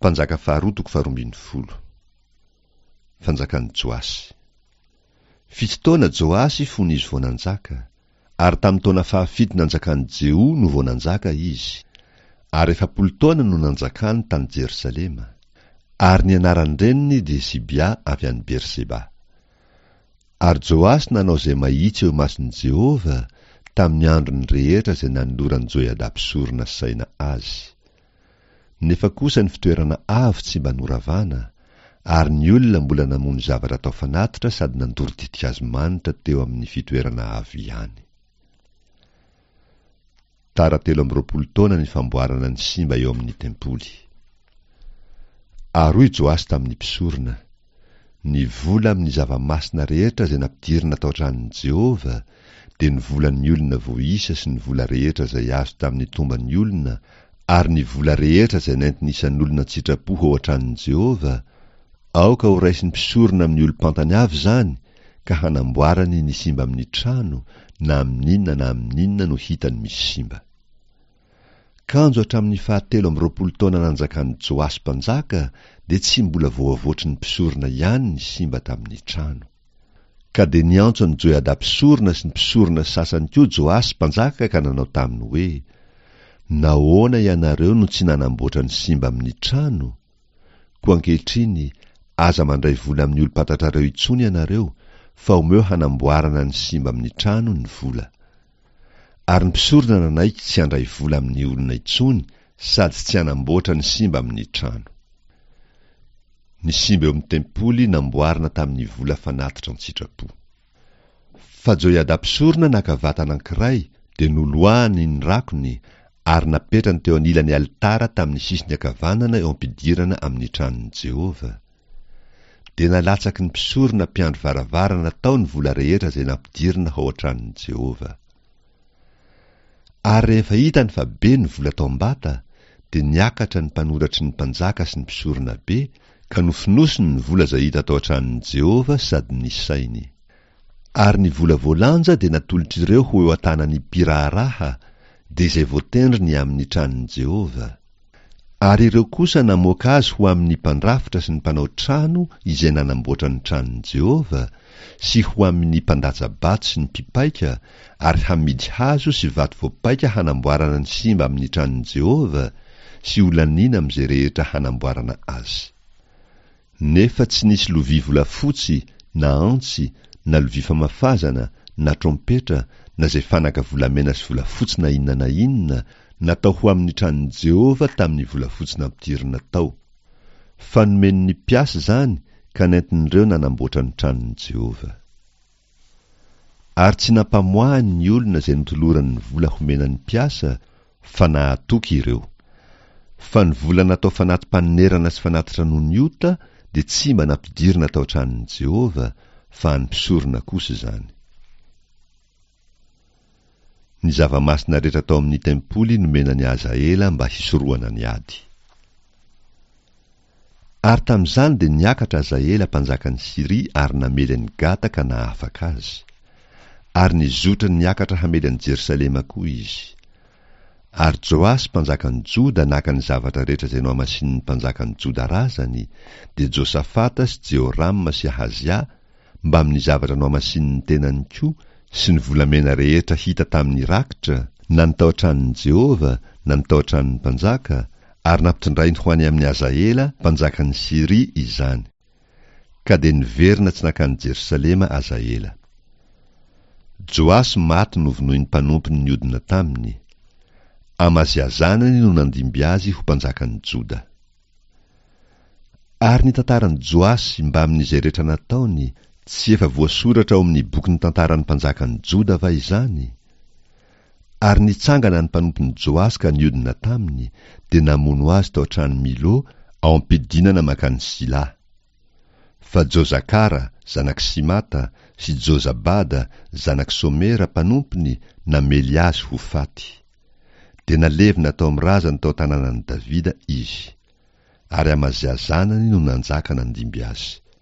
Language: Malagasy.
Mpanjaka faharoa toko faharoambinifolo. Fanjakan'i Joasy. Fito taona Joasy fony izy vao nanjaka, ary tamin'ny taona fahafito nanjakan'i Jeho no vao nanjaka izy, ary 40 taona no nanjakany tany Jerosalema. Ary ny anaran-dreniny dia Zibia avy any Berseba. Ary Joasy nanao izay mahitsy eo imason'i Jehovah tamin'ny androny rehetra izay nanoloran'i Joiada mpisorona saina azy. Nefa kosa ny fitoerana avo tsy mba noravana, ary ny olona mbola namono zavatra atao fanatitra sady nandoro ditin-kazo manitra teo amin'ny fitoerana avo ihany. Tara 23 taona ny famboarana ny simba eo amin'ny tempoly. Ary hoy Joasy tamin'ny mpisorona, Ny vola amin'ny zava-masina rehetra izay nampidirina tao an-tranon'i Jehovah, dia ny volan'ny olona voaisa sy ny vola rehetra izay azo tamin'ny tomban'ny olona ary ny vola rehetra izay nentin'ny isan'olona an-tsitrapo ho ao an-tranon'i Jehovah, aoka horaisin'ny mpisorona amin'ny olom-pantany avy izany ka hanamboarany ny simba amin'ny trano na amin'inona na amin'inona no hitany misy simba. Kanjo hatramin'ny fahatelo amby 20 taona nanjakan'i Joasy mpanjaka dia tsy mbola voavoatry ny mpisorona ihany ny simba tamin'ny trano. Ka dia niantso an'i Joiada mpisorona sy ny mpisorona sasany koa Joasy mpanjaka ka nanao taminy hoe, Nahoana ianareo no tsy nanamboatra ny simba amin'ny trano? Koa ankehitriny, aza mandray vola amin'ny olom-pantatrareo intsony ianareo, fa omeo hanamboarana ny simba amin'ny trano ny vola. Ary ny mpisorona nanaiky tsy handray vola amin'ny olona intsony sady tsy hanamboatra ny simba amin'ny trano. Ny simba eo amin'ny tempoly namboarina tamin'ny vola fanatitra an-tsitrapo. Fa Joiada mpisorona naka vata anankiray, dia noloahany ny rakony ary napetrany teo anilan'ny alitara tamin'ny sisiny ankavanana eo am-pidirana amin'ny tranon'i Jehovah. Dia nalatsaky ny mpisorona mpiandry varavarana tao ny vola rehetra izay nampidirina ao an-tranon'i Jehovah. Ary rehefa hitany fa be ny vola tao am-bata, dia niakatra ny mpanoratry ny mpanjaka sy ny mpisorona be, ka nofonosiny ny vola izay hita tao an-tranon'i Jehovah sady nisainy. Ary ny vola voalanja dia natolotr'ireo ho eo an-tanan'ny mpiraharaha, dia izay voatendry ny amin'ny tranon'i Jehovah. Ary ireo kosa namoaka azy ho amin'ny mpandrafitra sy ny mpanao trano izay nanamboatra ny tranon'i Jehovah, sy ho amin'ny mpandatsa-bato sy ny mpipaika, ary hamidy hazo sy vato voapaika hanamboarana ny simba amin'ny tranon'i Jehovah, sy holaniana amin'izay rehetra hanamboarana azy. Nefa tsy nisy lovia volafotsy, na antsy, na lovia famafazana, na trompetra, na izay fanaka volamena sy volafotsy na inona na inona, natao ho amin'ny tranon'i Jehovah tamin'ny volafotsy nampidirina tao. Fa nomen'ny mpiasa izany ka nentin'ireo nanamboatra ny tranon'i Jehovah. Ary tsy nampamoahany ny olona izay notolorany ny vola homena ny mpiasa, fa nahatoky ireo. Fa ny vola natao fanati-panonerana sy fanatitra noho ny ota dia tsy mba nampidirina tao an-tranon'i Jehovah, fa an'ny mpisorona kosa izany. Ny zava-masina rehetra tao amin'ny tempoly nomena an'i Hazaela mba hisorohana ny ady. Ary tamin'izany dia niakatra Hazaela mpanjakan'i Syria ary namely an'i Gata ka nahafaka azy. Ary nizotra niakatra hamely an'i Jerosalema koa izy. Ary Joasy mpanjakan'i Joda naka ny zavatra rehetra izay nohamasinin'ny mpanjakan'i Joda razany, dia Josafata sy Jehorama sy Ahazia, mbamin'ny zavatra nohamasinin'ny tenany koa sy ny volamena rehetra hita tamin'ny rakitra, na ny tao an-tranon'i Jehovah na ny tao an-tranon'ny mpanjaka, ary nampitondrainy ho any amin'i Hazaela mpanjakan'i Syria izany. Ka dia niverina tsy nankany Jerosalema Hazaela. Joasy maty novonoin'ny mpanompony niodina taminy. Amazia zanany no nandimby azy ho mpanjakan'i Joda. Ary ny tantaran'i Joasy mbamin'izay rehetra nataony, tsy efa voasoratra ao amin'ny bokin'ny tantaran'ny mpanjakan'i Joda va izany? Ary nitsangana ny mpanompon'i Joasy ka niodina taminy, dia namono azy tao an-trano Milo, ao am-pidinana mankany Sila. Fa Jozakara, zanak'i Simata, sy Jozabada, zanak'i Somera, mpanompony, namely azy ho faty. Dia nalevina tao amin'ny razany tao an-tanànan'i Davida izy. Ary Amazia zanany no nanjaka nandimby azy.